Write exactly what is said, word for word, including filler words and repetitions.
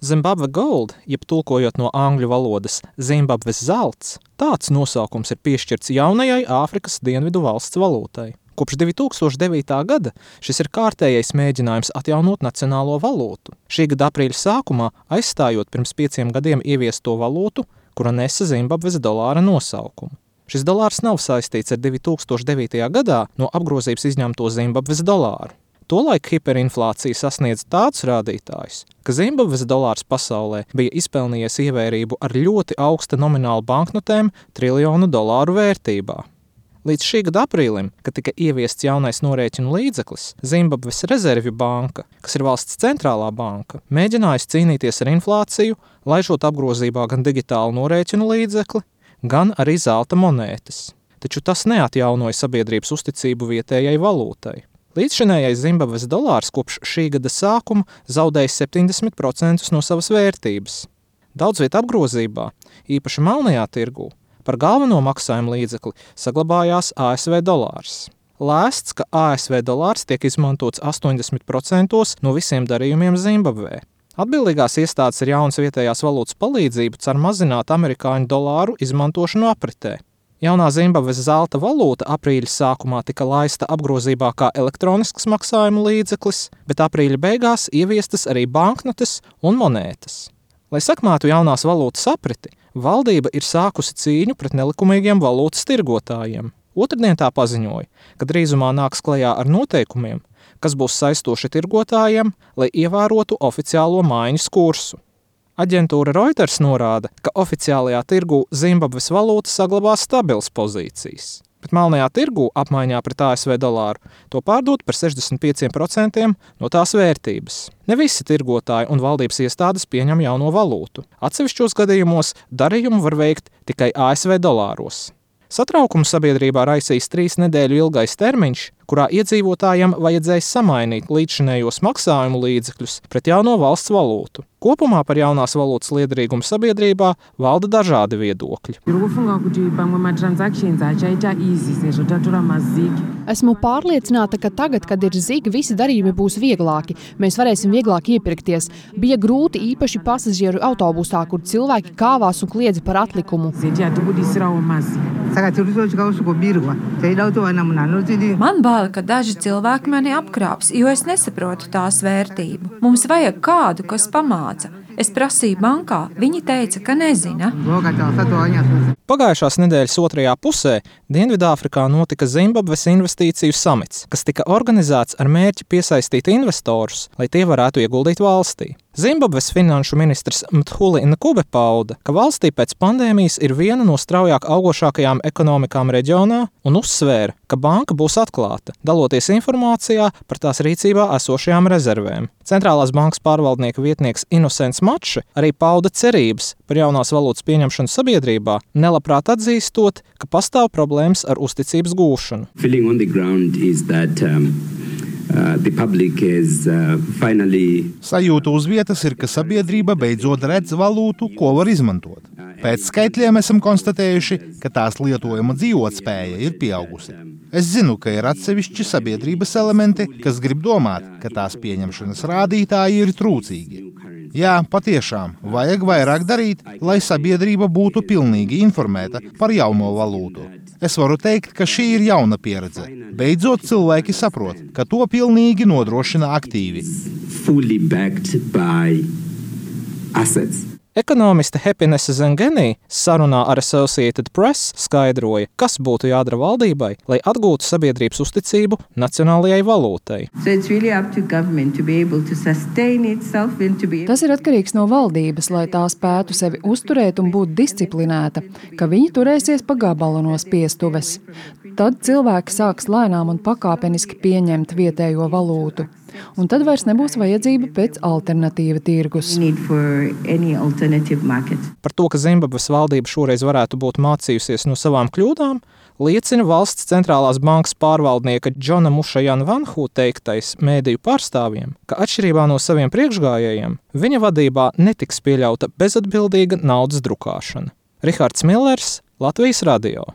Zimbabwe Gold, jeb tulkojot no angļu valodas Zimbabves zelts, tāds nosaukums ir piešķirts jaunajai Āfrikas dienvidu valsts valūtai. Kopš divi tūkstoši devītā gada šis ir kārtējais mēģinājums atjaunot nacionālo valūtu. Šī gada aprīļa sākumā aizstājot pirms pieciem gadiem ieviesto valūtu, kura nesa Zimbabves dolāra nosaukumu. Šis dolārs nav saistīts ar divi tūkstoši devītajā gadā no apgrozības izņemto Zimbabves dolāru. Tolaik hiperinflācija sasniedz tādus rādītājus, ka Zimbabves dolārs pasaulē bija izpelnījies ievērību ar ļoti augsta nominālu banknotēm triljonu dolāru vērtībā. Līdz šī gada aprīlim, kad tika ieviests jaunais norēķinu līdzeklis, Zimbabves rezervju banka, kas ir valsts centrālā banka, mēģinājusi cīnīties ar inflāciju, laižot apgrozībā gan digitālu norēķinu līdzekli, gan arī zelta monētas. Taču tas neatjaunoja sabiedrības uzticību vietējai valūtai. Līdzšinējais Zimbabves dolārs kopš šī gada sākuma zaudējis septiņdesmit procentus no savas vērtības. Daudz viet apgrozībā, īpaši melnajā tirgū, par galveno maksājumu līdzekli saglabājās A S V dolārs. Lēsts, ka A S V dolārs tiek izmantots astoņdesmit procentos no visiem darījumiem Zimbabvē. Atbildīgās iestādes ar jaunas vietējās valūtas palīdzību cer mazināt amerikāņu dolāru izmantošanu apritē. Jaunā Zimbabves zelta valūta aprīļa sākumā tika laista apgrozībā kā elektronisks maksājumu līdzeklis, bet aprīļa beigās ieviestas arī banknotes un monētas. Lai sakmētu jaunās valūtas apriti, valdība ir sākusi cīņu pret nelikumīgiem valūtas tirgotājiem. Otrdien tā paziņoja, ka drīzumā nāks klajā ar noteikumiem, kas būs saistoši tirgotājiem, lai ievērotu oficiālo maiņas kursu. Aģentūra Reuters norāda, ka oficiālajā tirgū Zimbabves valūta saglabās stabilas pozīcijas, bet melnajā tirgū apmaiņā pret A S V dolāru to pārdot par sešdesmit pieciem procentiem no tās vērtības. Ne visi tirgotāji un valdības iestādes pieņem jauno valūtu. Atsevišķos gadījumos darījumu var veikt tikai A S V dolāros. Satraukumu sabiedrībā raisīs trīs nedēļu ilgais termiņš, kurā iedzīvotājiem vajadzēja samainīt līdzšinējos maksājumu līdzekļus pret jauno valsts valūtu. Kopumā par jaunās valūtas liederīgumu sabiedrībā valda dažādi viedokļi. Esmu pārliecināta, ka tagad, kad ir zig, visi darījumi būs vieglāki. Mēs varēsim vieglāk iepirkties. Bija grūti īpaši pasažieru autobusā, kur cilvēki kāvās un kliedza par atlikumu. Man bail, ka daži cilvēki mani apkrāps, jo es nesaprotu tās vērtību. Mums vajag kādu, kas pamāca. Es prasīju bankā, viņi teica, ka nezina. Pagājušās nedēļas otrajā pusē Dienvidāfrikā notika Zimbabves investīciju samits, kas tika organizēts ar mērķi piesaistīt investorus, lai tie varētu ieguldīt valstī. Zimbabves finanšu ministrs Mthuli Ncube pauda, ka valstī pēc pandēmijas ir viena no straujāk augošākajām ekonomikām reģionā un uzsvēra, ka banka būs atklāta, daloties informācijā par tās rīcībā esošajām rezervēm. Centrālās bankas pārvaldnieka vietnieks Innocents Mače arī pauda cerības par jaunās valūtas pieņemšanu sabiedrībā, nelabprāt atzīstot, ka pastāv problēmas ar uzticības gūšanu. Uh, the public is uh, finally... Sajūta uz vietas ir, ka sabiedrība beidzot redz valūtu, ko var izmantot. Pēc skaitļiem esam konstatējuši, ka tās lietojuma dzīvotspēja ir pieaugusi. Es zinu, ka ir atsevišķi sabiedrības elementi, kas grib domāt, ka tās pieņemšanas rādītāji ir trūcīgi. Jā, patiešām, vajag vairāk darīt, lai sabiedrība būtu pilnīgi informēta par jauno valūtu. Es varu teikt, ka šī ir jauna pieredze. Beidzot cilvēki saprot, ka to pilnīgi nodrošina aktīvi. Ekonomiste Happiness Zengeni sarunā ar Associated Press skaidroja, kas būtu jādara valdībai, lai atgūtu sabiedrības uzticību nacionālajai valūtai. Tas ir atkarīgs no valdības, lai tā spētu sevi uzturēt un būt disciplinēta, ka viņi turēsies pa gabalu no spiestuves. Tad cilvēki sāks lēnām un pakāpeniski pieņemt vietējo valūtu. Un tad vairs nebūs vajadzība pēc alternatīva tirgus. Par to, ka Zimbabves valdība šoreiz varētu būt mācījusies no savām kļūdām, liecina valsts centrālās bankas pārvaldnieka Džona Mušajana Vanhu teiktais mēdīju pārstāvjiem, ka atšķirībā no saviem priekšgājējiem, viņa vadībā netiks pieļauta bezatbildīga naudas drukāšana. Rihards Millers, Latvijas radio.